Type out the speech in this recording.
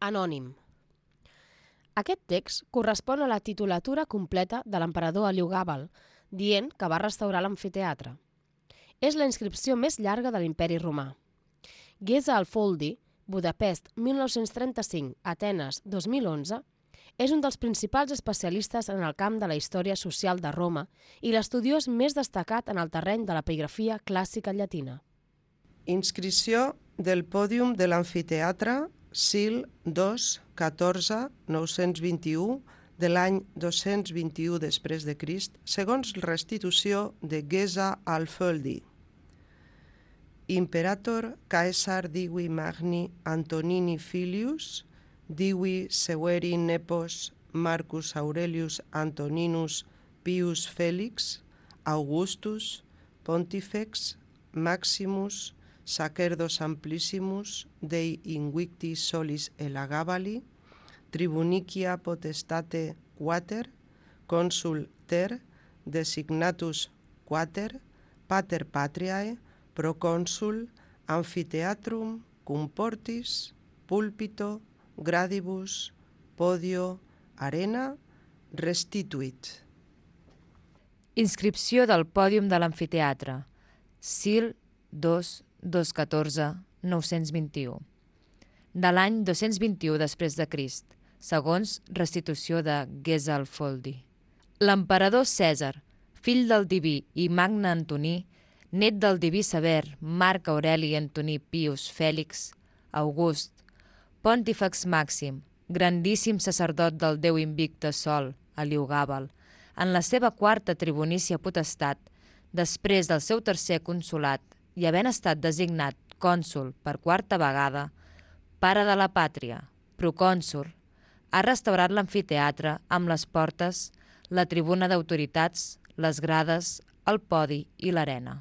Anònim. Aquest text correspon a la titulatura completa de l'emperador Heliogàbal, dient que va restaurar l'amfiteatre. És la inscripció més llarga de l'Imperi Romà. Geza Alfoldi, Budapest 1935, Atenes 2011, és un dels principals especialistes en el camp de la història social de Roma i l'estudiós més destacat en el terreny de l'epigrafia clàssica llatina. Inscripció del pòdium de l'amfiteatre Sil 2, 14, 921, de l'any 221 després de Crist, segons restitució de Geza Alfoldi. Imperator Caesar divi magni Antonini filius, divi severi nepos Marcus Aurelius Antoninus Pius Felix, Augustus, Pontifex, Maximus, Sacerdos amplissimus Dei invicti solis elagabali, Tribunicia potestate quater, consul ter, designatus quater, pater patriae, proconsul, amphitheatrum, cum portis, pulpito, gradibus, podio, arena, restituit. Inscripció del pòdium de l'amfiteatre. Sil 2, 214, 921. De l'any 221 després de Crist, segons restitució de Geza Alfoldi. L'emperador Cèsar, fill del diví i magne Antoní, net del diví Sever Marc Aureli Antoní Pius Fèlix, August, Pontífex Màxim, grandíssim sacerdot del déu invicte Sol, Heliogàbal, en la seva quarta tribunícia potestat, després del seu tercer consolat i havent estat designat cònsul per quarta vegada, pare de la pàtria, procònsul, ha restaurat l'amfiteatre amb les portes, la tribuna d'autoritats, les grades, el podi i l'arena.